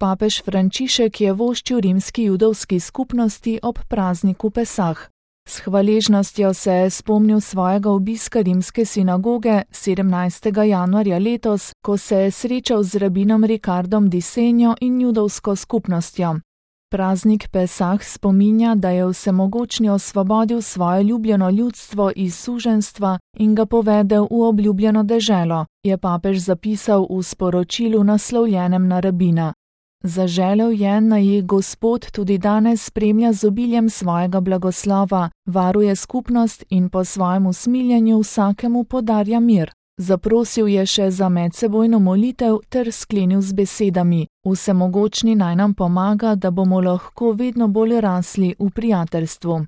Papež Frančišek je voščil rimski judovski skupnosti ob prazniku Pesah. S hvaležnostjo se je spomnil svojega obiska rimske sinagoge 17. januarja letos, ko se je srečal z rabinom Ricardom di Senjo in judovsko skupnostjo. Praznik Pesah spominja, da je Vsemogočni osvobodil svoje ljubljeno ljudstvo iz suženjstva in ga povedel v obljubljeno deželo, je papež zapisal v sporočilu naslovljenem na rabina. Zaželel je, naj jih Gospod tudi danes spremlja z obiljem svojega blagoslova, varuje skupnost in po svojem usmiljenju vsakemu podarja mir. Zaprosil je še za medsebojno molitev ter sklenil z besedami: Vsemogočni naj nam pomaga, da bomo lahko vedno bolj rasli v prijateljstvu.